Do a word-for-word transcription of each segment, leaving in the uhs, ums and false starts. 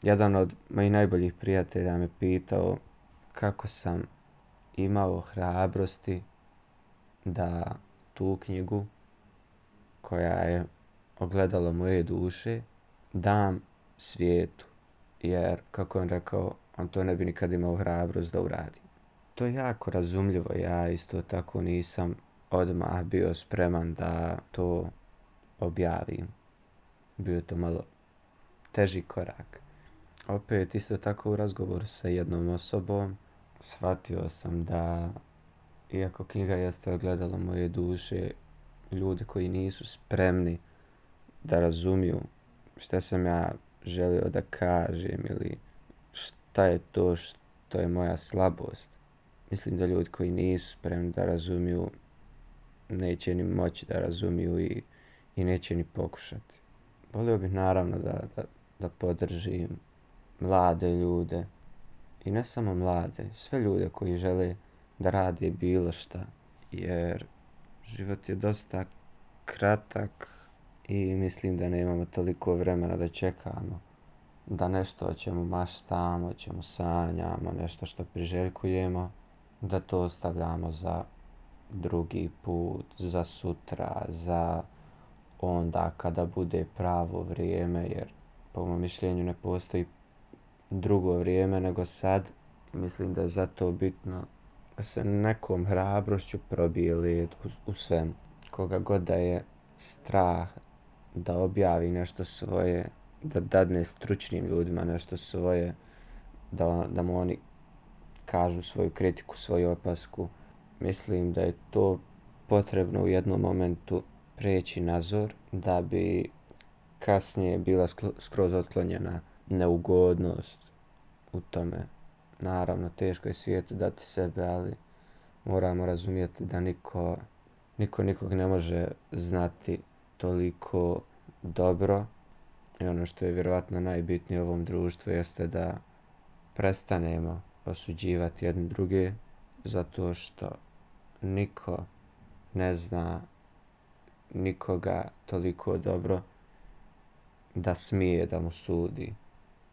Jedan od mojih najboljih prijatelja me pitao kako sam imao hrabrosti da tu knjigu, koja je ogledalo moje duše, dam svijetu. Jer, kako je on rekao, on to ne bi nikad imao hrabrost da uradi. To je jako razumljivo. Ja isto tako nisam odmah bio spreman da to objavim. Bio je to malo teži korak. Opet isto tako u razgovoru sa jednom osobom shvatio sam da, iako knjiga jeste ogledalo moje duše, ljudi koji nisu spremni da razumiju šta sam ja želio da kažem ili šta je to što je moja slabost. Mislim da ljudi koji nisu spremni da razumiju neće ni moći da razumiju i, i neće ni pokušati. Volio bih naravno da, da, da podržim mlade ljude i ne samo mlade, sve ljude koji žele da rade bilo šta, jer život je dosta kratak i mislim da nemamo toliko vremena da čekamo da nešto o čemu maštamo, o čemu sanjamo, nešto što priželjkujemo, da to ostavljamo za drugi put, za sutra, za onda kada bude pravo vrijeme, jer po mom mišljenju ne postoji drugo vrijeme nego sad. Mislim da je zato bitno da se nekom hrabrošću probije led u, u svemu. Koga god da je strah da objavi nešto svoje, da dadne stručnim ljudima nešto svoje, da, da mu oni kažu svoju kritiku, svoju opasku. Mislim da je to potrebno u jednom momentu preći nazor da bi kasnije bila skroz otklonjena neugodnost u tome. Naravno, teško je svijetu dati sebe, ali moramo razumjeti da niko, niko nikog ne može znati toliko dobro. I ono što je vjerovatno najbitnije u ovom društvu jeste da prestanemo osuđivati jedne druge, zato što niko ne zna nikoga toliko dobro da smije da mu sudi.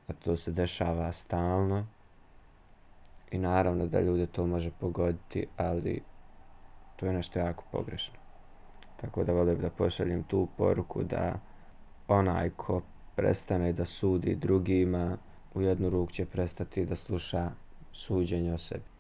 A to se dešava stalno. I naravno da ljude to može pogoditi, ali to je nešto jako pogrešno. Tako da volim da pošaljem tu poruku da onaj ko prestane da sudi drugima, u jednu ruku će prestati da sluša suđenje o sebi.